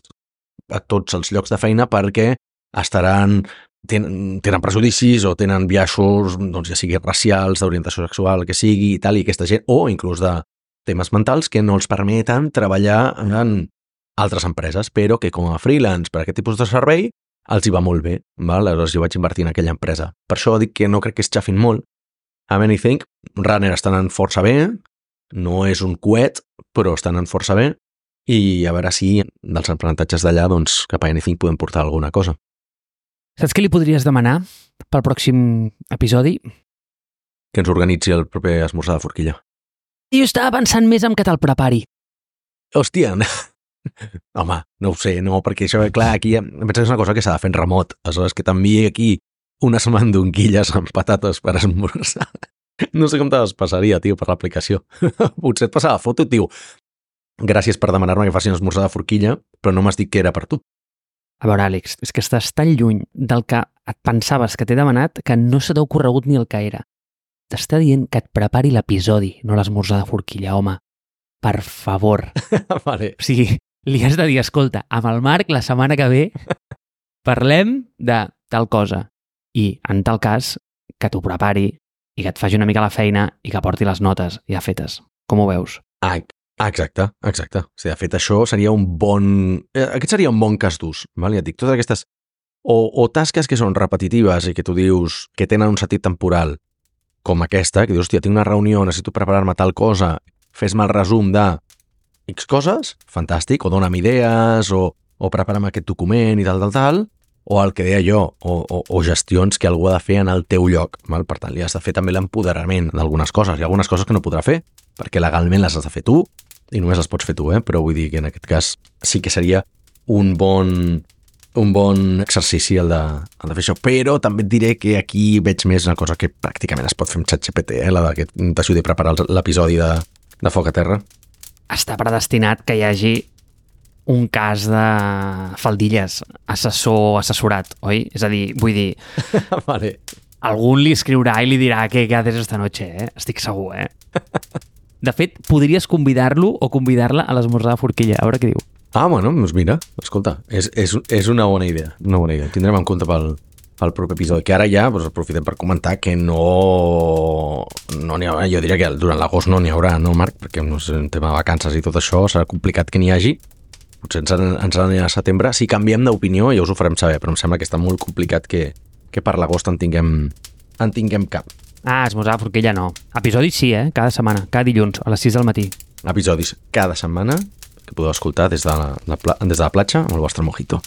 a tots els llocs de feina perquè estaran, tenen, tenen prejudicis o tenen biaixos, doncs ja sigui racials, d'orientació sexual, que sigui i tal, i aquesta gent, o inclús de temes mentals que no els permeten treballar en altres empreses, però que com a freelance per aquest tipus de servei els hi va molt bé, val? Aleshores jo vaig invertir en aquella empresa. Per això dic que no crec que es xafin molt. A Anything, Runner estan anant força bé, no és un coet, però estan anant força bé, i a veure si dels aprenentatges d'allà, doncs, cap a Anything podem portar alguna cosa. Saps què li podries demanar pel pròxim episodi? Que ens organitzi el proper esmorzar de forquilla. Jo estava pensant més en que te'l prepari. Hòstia, home, no ho sé, no, perquè això, clar, aquí em penso que és una cosa que s'ha de fer en remot, aleshores que t'enviï aquí unes mandonguilles amb patates per esmorzar. No sé com te les passaria, tio, per l'aplicació. Potser et passava foto, tio. Gràcies per demanar-me que faci un esmorzar de forquilla, però no m'has dit que era per tu. A veure, Àlex, és que estàs tan lluny del que et pensaves que t'he demanat que no se t'ha ocorregut ni el que era. T'està dient que et prepari l'episodi, no l'esmorzar de forquilla, home. Per favor. Vale. O sigui, li has de dir, escolta, amb el Marc la setmana que ve parlem de tal cosa. I, en tal cas, que t'ho prepari i que et faci una mica la feina i que porti les notes ja fetes. Com ho veus? Ah, exacte, exacte. O sigui, de fet, això seria un bon... Aquest seria un bon cas d'ús, val? Ja et dic, totes aquestes... O, o tasques que són repetitives i que tu dius que tenen un sentit temporal, com aquesta, que dius, hòstia, tinc una reunió, necessito preparar-me tal cosa, fes-me el resum de X coses, fantàstic, o dona'm idees, o, o prepara'm aquest document i tal, tal, tal, o el que deia jo, o, o, o gestions que algú ha de fer en el teu lloc. Val? Per tant, li has de fer també l'empoderament d'algunes coses. Hi ha algunes coses que no podrà fer, perquè legalment les has de fer tu, i només les pots fer tu, eh? Però vull dir que en aquest cas sí que seria un bon, un bon exercici el de, el de fer això. Però també et diré que aquí veig més una cosa que pràcticament es pot fer amb ChatGPT, eh? La de que t'ajudi a preparar l'episodi de, de Foc a Terra. Està predestinat que hi hagi un cas de faldilles, assessor, assessorat, oi? És a dir, vull dir, vale. Algun li escriurà i li dirà què haces esta noche, eh? Estic segur, eh? De fet, podries convidar-lo o convidar-la a l'esmorzar de forquilla, a veure què diu. Ah, bueno, doncs mira, escolta, és, és, és una bona idea, una bona idea. Tindrem en compte pel, pel proper episodi, que ara ja doncs, aprofitem per comentar que no no n'hi haurà, jo diria que durant l'agost no n'hi haurà, no, Marc? Perquè no és un tema de vacances i tot això, serà complicat que n'hi hagi. Potser ens, ens n'anirà a setembre. Si canviem d'opinió ja us ho farem saber, però em sembla que està molt complicat que, que per l'agost en tinguem, en tinguem cap. Ah, esmorzar de forquilla no. Episodis sí, eh? Cada setmana, cada dilluns, a les sis del matí. Episodis cada setmana que podeu escoltar des de la, la, des de la platja amb el vostre mojito.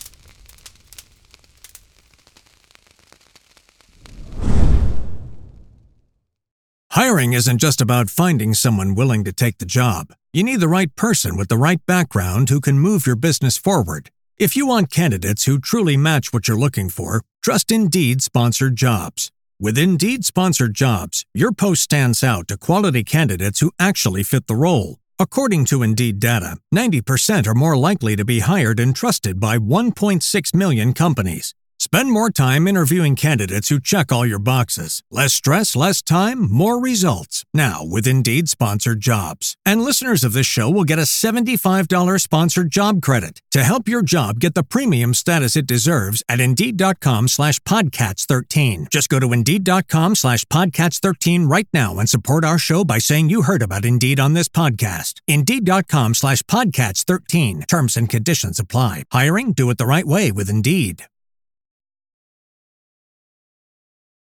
Hiring isn't just about finding someone willing to take the job. You need the right person with the right background who can move your business forward. If you want candidates who truly match what you're looking for, trust Indeed Sponsored Jobs. With Indeed Sponsored Jobs, your post stands out to quality candidates who actually fit the role. According to Indeed data, ninety percent are more likely to be hired and trusted by one point six million companies. Spend more time interviewing candidates who check all your boxes. Less stress, less time, more results. Now with Indeed Sponsored Jobs. And listeners of this show will get a seventy-five dollars sponsored job credit to help your job get the premium status it deserves at Indeed.com slash Podcats 13. Just go to Indeed.com slash Podcats 13 right now and support our show by saying you heard about Indeed on this podcast. Indeed.com slash Podcats 13. Terms and conditions apply. Hiring? Do it the right way with Indeed.